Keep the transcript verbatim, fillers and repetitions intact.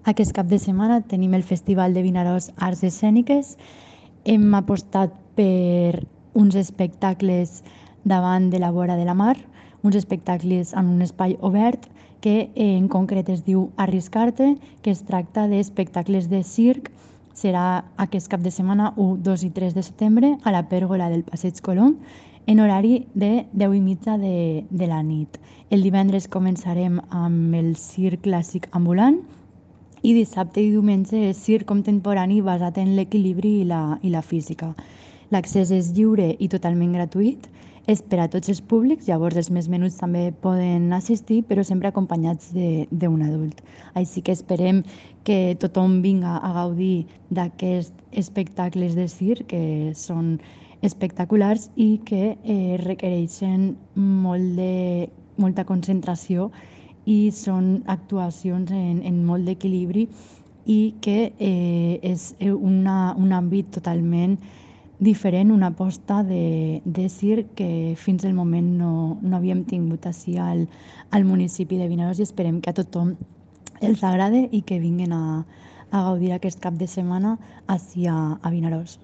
Aquest cap de setmana tenim el Festival de Vinaròs Arts Escèniques. Hem apostat per uns espectacles davant de la vora de la mar, uns espectacles en un espai obert que eh, en concret es diu Arriscar-te, que es tracta d'espectacles de circ. Serà aquest cap de setmana u, dos i tres de setembre a la pèrgola del Passeig Colom en horari de deu i mitja de, de la nit. El divendres començarem amb el circ clàssic ambulant i dissabte i diumenge és circ contemporani basat en l'equilibri i la, i la física. L'accés és lliure i totalment gratuït, és per a tots els públics, llavors els més menuts també poden assistir, però sempre acompanyats d'un adult. Així que esperem que tothom vinga a gaudir d'aquests espectacles de circ, que són espectaculars i que eh, requereixen molt de, molta concentració i són actuacions en, en molt d'equilibri i que eh, és una, un àmbit totalment diferent, una aposta de, de circ que fins al moment no, no havíem tingut així al, al municipi de Vinaròs i esperem que a tothom els agrade i que vinguin a, a gaudir aquest cap de setmana així a, a Vinaròs.